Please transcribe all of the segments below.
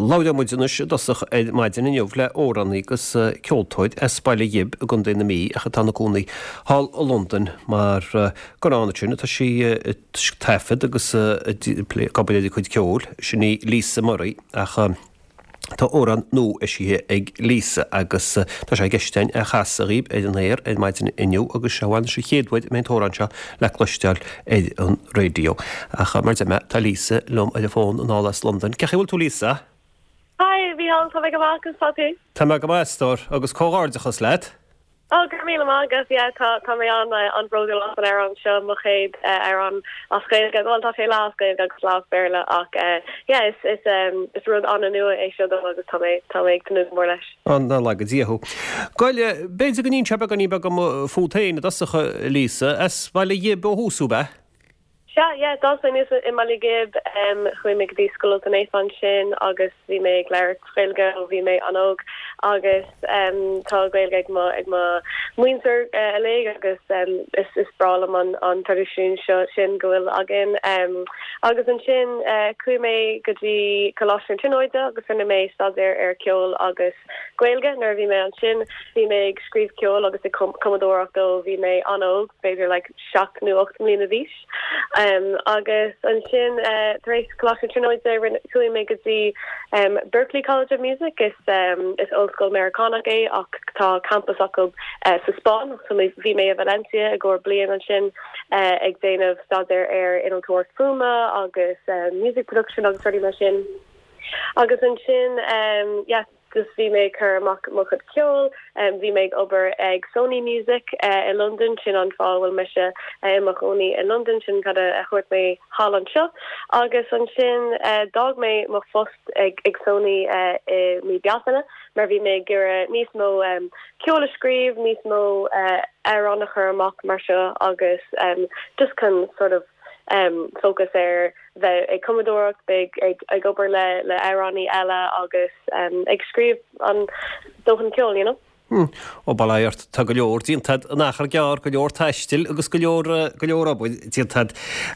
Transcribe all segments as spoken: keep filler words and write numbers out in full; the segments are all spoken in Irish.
Labhróidh muid anois i dtosach ar maidin inniu le amhránaí agus ceoltóir as Baile Ghib i gContae na Mí ach atá ina cónaí thall i Londain mar gur ann ansin atá sí ag taifead agus ag obair ar a cuid ceoil. Sin í Lisa Murray ach tá amhrán nua eisithe ag Lisa agus tá sé i gceist againn é a chasadh dhaoibh ar an aer ar maidin inniu agus seo anois an chéad uair a mbeidh an t-amhrán seo le cloisteáil ar an raidió. Ach mar a deir mé, tá Lisa liom ar an bhfón anall as Londain. Cén chaoi a bhfuil tú Lisa? Hi, Mícheál, tá mé go maith agus tá tú? Tá mé go maith, a stór, agus comhghairdeachas leat. Ó go raibh míle maith agat yeah tá tá mé an an-bhródúil as an amhrán seo mo chéad amhrán as Gaeilge well tá sé leath as Gaeilge agus leath as Béarla ach yeah is is um, is rud an-nua é seo dom agus tá mé tá mé ag tnúth go mór leis. An-laga Dia thú. Gabhail, b'fhéidir go n-inseofá beagáinín beag dom fút féin i dtosach Lisa, as Baile Ghib ó thús thú, ab ea? Sea, yeah, d'fhás mé aníos i mBaile Ghib um, chuaigh mé go dtí Scoil Naofa ansin agus bhí mé ag labhairt Gaeilge ó bhí mé an-óg agus um, tá Gaeilge ag mo ag mo mhuintir uh, uilig agus um, is is breá liom an an traidisiún seo sin go bhfuil againn um, agus ansin uh, chuaigh mé go dtí Coláiste na Tríonóide agus rinne mé staidéar ar ceol agus Gaeilge nuair a bhí mé ansin bhí mé ag scríobh ceol agus ag cumadóireacht ó bhí mé an-óg b'fhéidir like seacht nó ocht mbliana d'aois. Um, agus ansin uh, tar éis Coláiste na Tríonóide chuaigh mé go dtí um, Berklee College of Music is um, is ollscoil Meiriceánach é ach tá campus acu uh, sa Spáinn so bhí mé i Valencia i gcomhair bliain ansin uh, ag déanamh staidéar ar innealtóireacht fuaime agus uh, music production agus rudaí mar sin. Agus ansin um, yeah, just bhí mé chur amach mo chuid ceoil um, bhí mé ag obair ag Sony Music uh, i London sin an fáth bhfuil mise uh, i mo chónaí i London sin cad a chuir mé thall anseo agus ansin uh, d'fhág mé mo phost ag, ag Sony uh, i mí Bealtaine mar bhí mé ag iarraidh níos mó um, ceol a scríobh níos mó uh, amhrán a chur amach mar seo agus um, just chun sort of um, focus ar bheith ag cumadóireacht ag ag ag obair le le amhránaí eile agus um, ag scríobh an dóthain ceoil you know? Hmm. Ó bail ó Dhia ort tá go leor déanta in achar gearr go leor taistil agus go leor go leor obair déanta.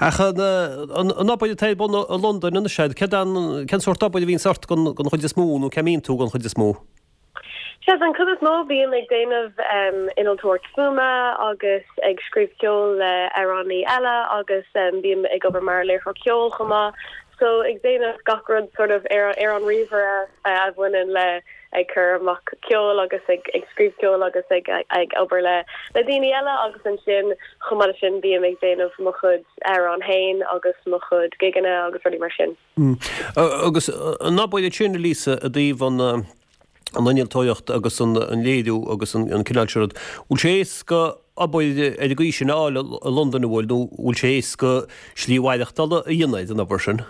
Ach an an obair atá bun i Londain an sé cén cén sórt obair a bhíonn ort den den chuid is mó nó cá mbíonn tú den chuid is mó. Sea an chuid is mó bím ag déanamh um, innealtóireacht fuaime agus ag scríobh ceol le amhránaí eile agus um, bím ag obair mar léiritheoir ceoil chomh maith. So ag déanamh gach rud sort of ar ar an ríomhaire uh, a bhaineann le ag cur amach ceol agus ag ag scríobh ceol agus ag ag obair le le daoine eile agus ansin chomh maith sin bím ag déanamh mo chuid amhrán féin agus mo chuid gigeanna agus rudaí mar sin. Mm. Agus an obair sin Lisa i dtaobh an an innealtóireacht agus an an léiriú agus an an cineál sin rud. Bhfuil sé éasca obair ar an gcaoi sin a fháil i Londain bhfuil nó bhfuil sé éasca slí mhaireachtála a dhéanamh den obair sin.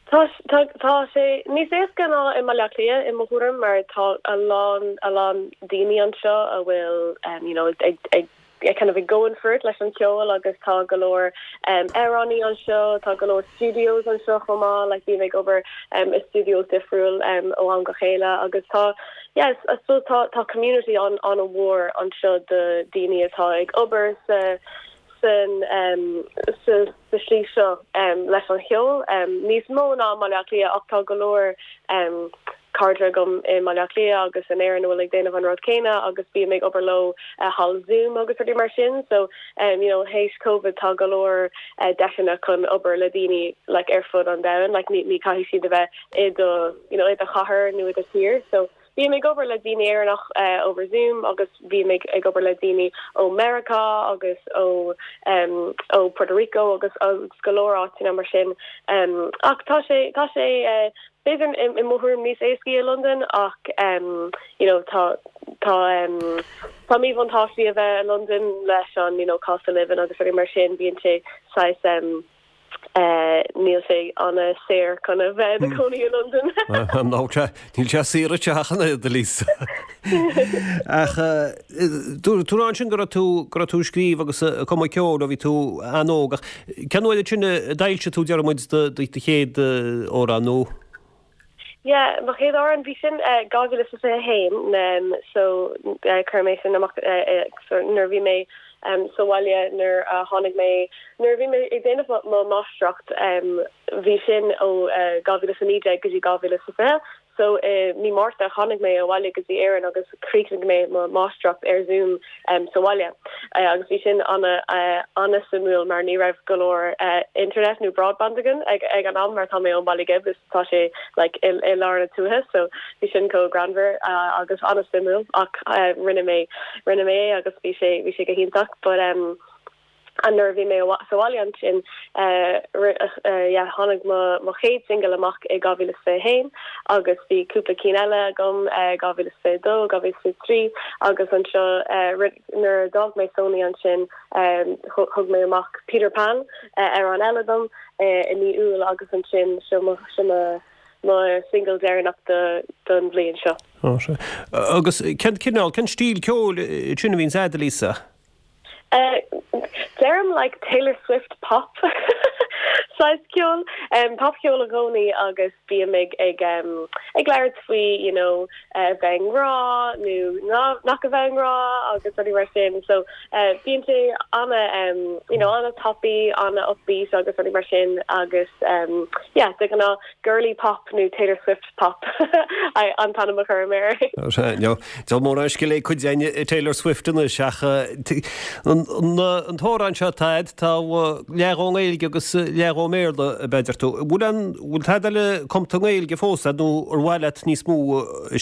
Tá tá tá sé níos éasca ná i mBaile Átha Cliath i mo thuairim mar tá a lán a lán daoine anseo a bhfuil um, you know, ag ag kind of ag going for it leis an ceol agus tá go leor um, amhránaí anseo tá go leor studios anseo chomh maith like bím ag obair um, i studios difriúil um, ó am go chéile agus tá yes I suppose tá tá community an an-mhór anseo de daoine atá ag obair sa san um, sa sa slí seo um, leis an cheol um, níos mó ná Baile Átha Cliath ach tá go leor um, cairde agam i Baile Átha Cliath agus in Éirinn bhfuil ag déanamh an rud céanna agus bím ag obair leo uh, thall Zoom agus rudaí mar sin so um, you know théis COVID tá go leor uh, deiseanna chun obair le daoine like ar fud an domhain like ní ní caithfidh siad a bheith i do you know i do chathair nó i do thír so bím ag obair le daoine Éireannach uh, over Zoom agus bím ag ag obair le daoine ó America agus ó um, ó Puerto Rico agus agus go leor áiteanna mar sin um, ach tá sé tá sé uh, b'fhéidir i mo thuairim níos éasca i London ach um, you know tá tá um, tá míbhuntáistí a bheith i London leis an you know cost of living agus rudaí mar sin bíonn sé saghas um, Uh, níl sé an-saor chun a bheith i do chónaí i London. Ná níl sé saor teachan de Lisa. Ach tú sin go tú go tú scríobh agus cumadh ceoil ó bhí tú an-óg cén uair sin a d'fhoilsigh tú deir muid do chéad amhrán nó? Yeah, mo chéad amhrán bhí sin dhá mhíle is a haon um, so uh, chuir mé sin amach uh, uh, nuair bhí mé um, sa bhaile nuair a tháinig mé nuair bhí mé ag déanamh mo máistreacht um, bhí sin ó uh, dhá mhíle a naoi déag go dtí dhá mhíle is fiche so uh, mí Márta tháinig mé abhaile go dtí Éirinn agus chríochnaigh mé mo máistreacht ar Zoom um, sa bhaile uh, agus bhí sin ana uh, ana suimiúil mar ní raibh go leor uh, internet nó broadband againn ag, ag an am mar tá mé ón Baile Ghib is tá sé like, i, i lár na tuaithe so bhí sin chomh greannmhar uh, agus ana suimiúil ach uh, rinne mé rinne mé agus bhí sé bhí sé go hiontach but um, an nuair bhí mé sa bhaile ansin tháinig mo chéad single amach i dhá mhíle fiche haon agus bhí cúpla cinn eile agam dhá mhíle fiche dó dhá mhíle fiche trí agus anseo nuair a d'fhág mé Sony ansin thug mé amach Peter Pan ar an eile dom i mí Iúil agus ansin seo mo single deireanach don bhliain seo. Agus cén cineál cén stíl ceoil sin a bhíonn agat Lisa? Uh, Deirim like Taylor Swift pop saghas ceol um, popcheol i gcónaí agus bím ag ag um, ag labhairt faoi you know uh, bheith rá nó nach a bheith rá agus rudaí mar sin so uh, bíonn sé ana um, you know ana tapaidh ana upbeat agus rudaí mar sin agus um, yeah de ghnáth girly pop nó Taylor Swift pop an t-ainm a chuir mé. Tá mór scil é chuid Taylor Swift ina seach an t-amhrán seo tá tá leath ón Ghaeilge agus leath ón mBéarla b'fhéidir tú. Bhfuil an bhfuil tada eile cumtha i nGaeilge fós nó ar mhaith leat níos mó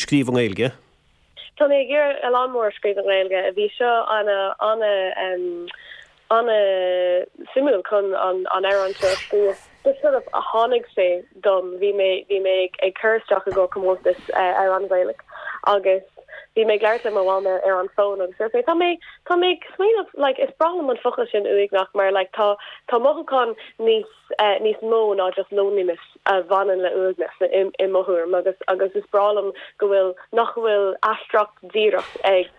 scríobh i nGaeilge? Tá mé ag iarraidh a lán mór scríobh i nGaeilge a bhí seo ana ana um, ana suimiúil chun an an amhrán seo scríobh. Just sort of a tháinig sé dom bhí mé bhí mé ag cur isteach i gcomhair comórtas uh, amhrán Gaelach agus bhí mé ag labhairt le mo mham ar an fón agus sé tá mé tá mé smaoineamh like is breá liom an focal sin uaigneach mar like tá tá mothúchán níos uh, níos mó ná just loneliness a bhaineann le uaigneas i, i mo thuairim agus agus is breá liom go bhfuil nach bhfuil aistriúchán díreach ag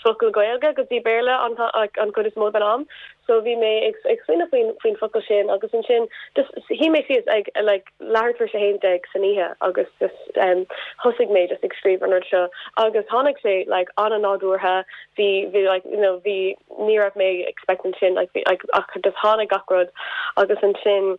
focal Gaeilge go dtí Béarla an an chuid is mó den am so bhí mé ag ag smaoineamh faoin faoin focal sin agus ansin just shuigh mé síos ag like leathuair tar éis a haon déag san oíche agus just um thosaigh mé just ag scríobh an rud seo agus tháinig sé like ana nádúrtha bhí bhí like you know bhí ní raibh mé expecting sin like bhí like ach just tháinig gach rud agus ansin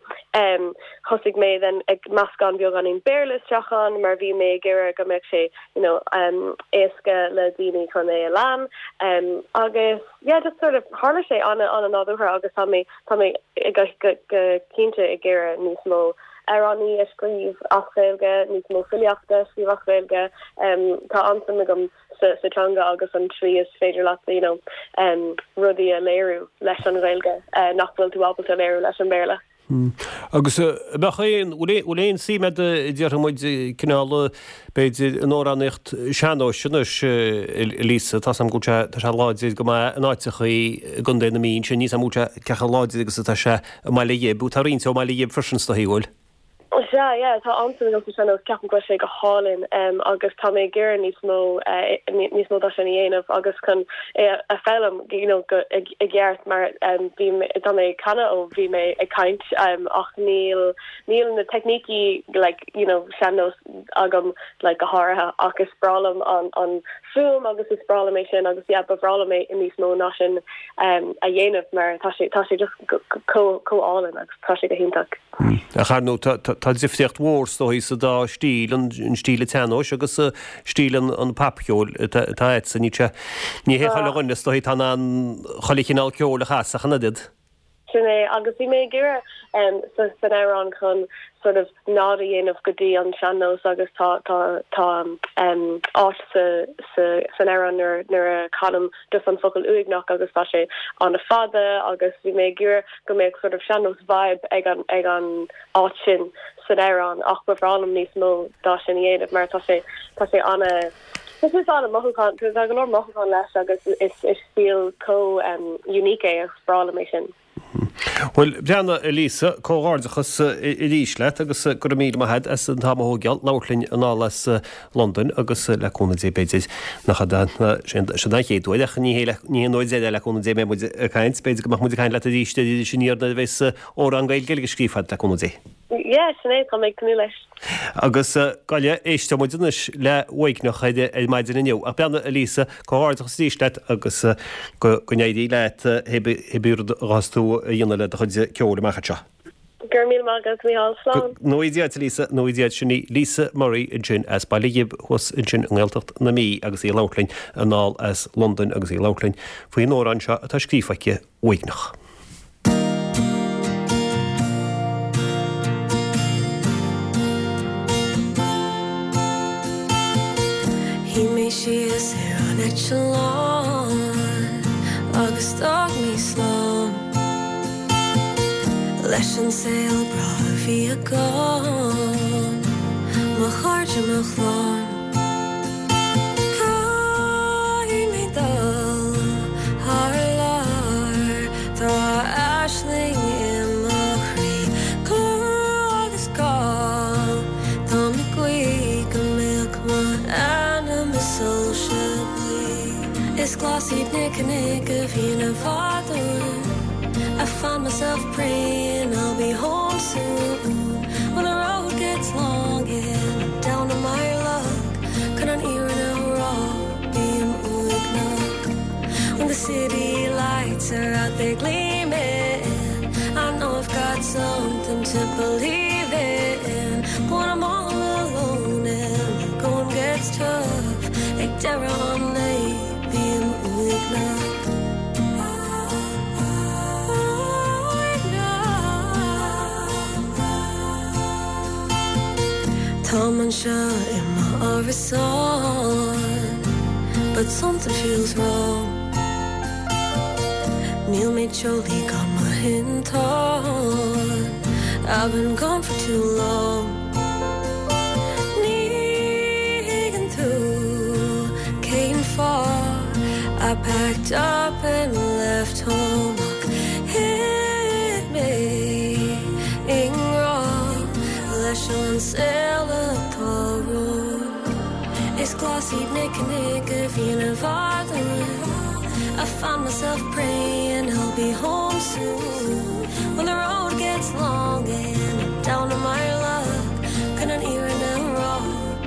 um thosaigh mé then ag meascán beagáinín Béarla isteach ann mar bhí mé ag iarraidh go mbeadh sé you know um éasca le daoine chun é a lean um agus yeah just sort of tharla sé ana ana nádúrtha agus tá mé tá mé go go cinnte ag iarraidh níos mó amhráin a scríobh as Gaeilge níos mó filíochta scríobh as Gaeilge um, tá an-suim agam sa, sa teanga agus an tslí is féidir leat you know, um, rudaí a léiriú leis an Ghaeilge uh, nach bhfuil tú ábalta léiriú leis an Béarla. Hmm. Agus bheadh aon bhfuil aon suim agat déarfaidh muid cineál b'fhéidir an amhránaíocht sean-nóis anois Lisa tá go tá sé láidir go maith in áiteachaí i gContae na Mí sin níos mó cé chomh láidir agus atá sé i mBaile Ghib, tá roinnt ó Bhaile Ghib freisin sa bhfuil. Sea yeah tá an-suim agam sa sean-nós ceapaim go sé go hálainn um, agus tá mé ag iarraidh níos mó uh, níos mó dá sin a dhéanamh agus chun é a fhoghlaim you know, go i gceart mar um, bhí tá mé canadh ó bhí mé ag caint um, ach níl níl na teicnící like you know sean-nós agam like go háirithe ach is breá liom an an fuaim agus is breá liom é sin agus yeah, ba bhreá liom é níos mó ná sin um, a dhéanamh mar tá sé tá sé just chomh hálainn agus tá sé go hiontach. Hmm. A charnú tá difríocht mhór stoi sa dá stíl an stíl sean-nóis agus stíl an an popcheoil tá sa ní ní hé le rinne stoi tá an chuile chineál ceoil a chasadh chan did. Sin é agus bhí mé ag iarraidh um, sa san amhrán chun sort of nod a dhéanamh go dtí an sean-nós agus tá tá tá um, áit sa sa san amhrán nuair nuair a chanaim just an focal uaigneach agus tá sé ana fada agus bhí mé ag iarraidh go mbeadh sort of sean-nós vibe ag an ag an áit sin san amhrán ach ba bhreá liom níos mó dá sin a dhéanamh mar tá sé tá sé ana Tá sé ana mothúchán tá go leor mothúchán leis agus is is stíl chomh um, unique é agus breá liom é sin. Bhuel, breathnaigh a Lisa, comhghairdeachas arís leat agus go raibh míle maith agat as an t-am a thógáil labhairt linn anall as Londain agus le cúnamh Dé b'fhéidir nach ea sin an chéad uair ach ní hé ní hé an uair deiridh le cúnamh Dé a mbeidh muid ag caint, b'fhéidir go mbeadh muid ag caint leat arís ar Iris Aniar nuair a bheas amhrán Gaeilge eile scríofa agat le cúnamh Dé. Yeah, sin é, tá mé ag tnúth leis. Agus gabh i leith, éisteoidh muid anois le Uaigneach ar ar maidin inniu. Ach breathnaigh a Lisa, comhghairdeachas arís leat agus go go n-éirí leat pé rud a ghabhfas tú a dhéanamh le do chuid ceoil amach anseo. Go raibh míle maith agat, Mícheál. Slán. Go ngnóthaí Dia duit, a Lisa, ngnóthaí Dia duit. Sin í Lisa Murray ansin as Baile Ghib thuas ansin i nGaeltacht na Mí agus í ag labhairt linn anall as Londain agus í ag labhairt linn faoin amhrán seo atá scríofa aici, Uaigneach. Shuigh mé síos ar an eitleán agus d'fhág mé slán leis an saol breá a bhí agam, mo chairde, mo chlann. Caithfidh mé dul thar lear, tá aisling i mo chroí, clú agus cáil, táim ag guí go mbeadh m'anam i soilse buí. Is glas iad na cnoic a bhíonn i bhfad uaim, I find myself praying I'll be home soon When the road gets long and I'm down on my luck Chun an fhírinne a rá bím uaigneach When the city lights are out there gleaming I know I've got something to believe in But when I'm all alone and the going gets tough Ag deireadh an lae bím uaigneach Táim anseo i m'árasán But something feels wrong Níl mé teolaí gan mo thintán I've been gone for too long Ní thuigeann tú cén fáth I packed up and left home Ach thit mé i ngrá leis an saol atá romham. Is glas iad na cnoic a bhíonn i bhfad uaim I find myself praying I'll be home soon When the road gets long and I'm down on my luck Chun an fhírinne a rá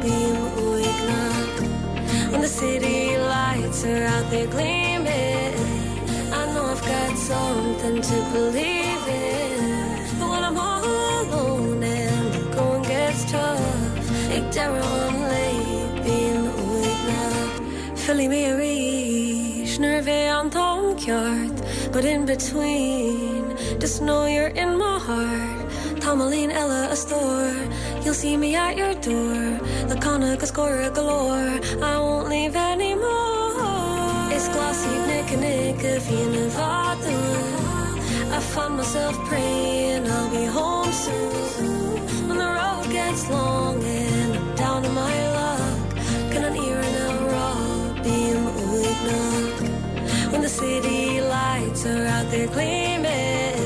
bím uaigneach When the city lights are out there gleaming I know I've got something to believe in But when I'm all alone and the going gets tough Ag deireadh an lae bím uaigneach Fillfidh mé arís nuair a bheidh an t-am ceart But in between just know you're in my heart Tamaillín eile a stór You'll see me at your door Le canadh agus gáire go leor I won't leave anymore Is glas iad na cnoic a bhíonn i bhfad uaim I find myself praying I'll be home soon When the road gets long and I'm down on my luck Chun an fhírinne a rá bím uaigneach When the city lights are out there gleaming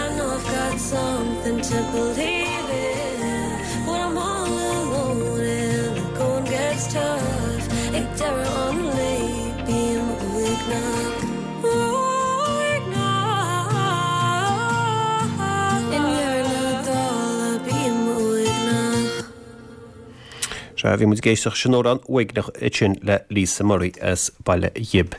I know I've got something to believe in When I'm all alone and the going gets tough Ag deireadh an lae bím uaigneach Uaigneach I ndeireadh na dála bím uaigneach. Sea, bhí muid ag éisteacht leis an amhrán Uaigneach ansin le Lisa Murray as Baile Ghib.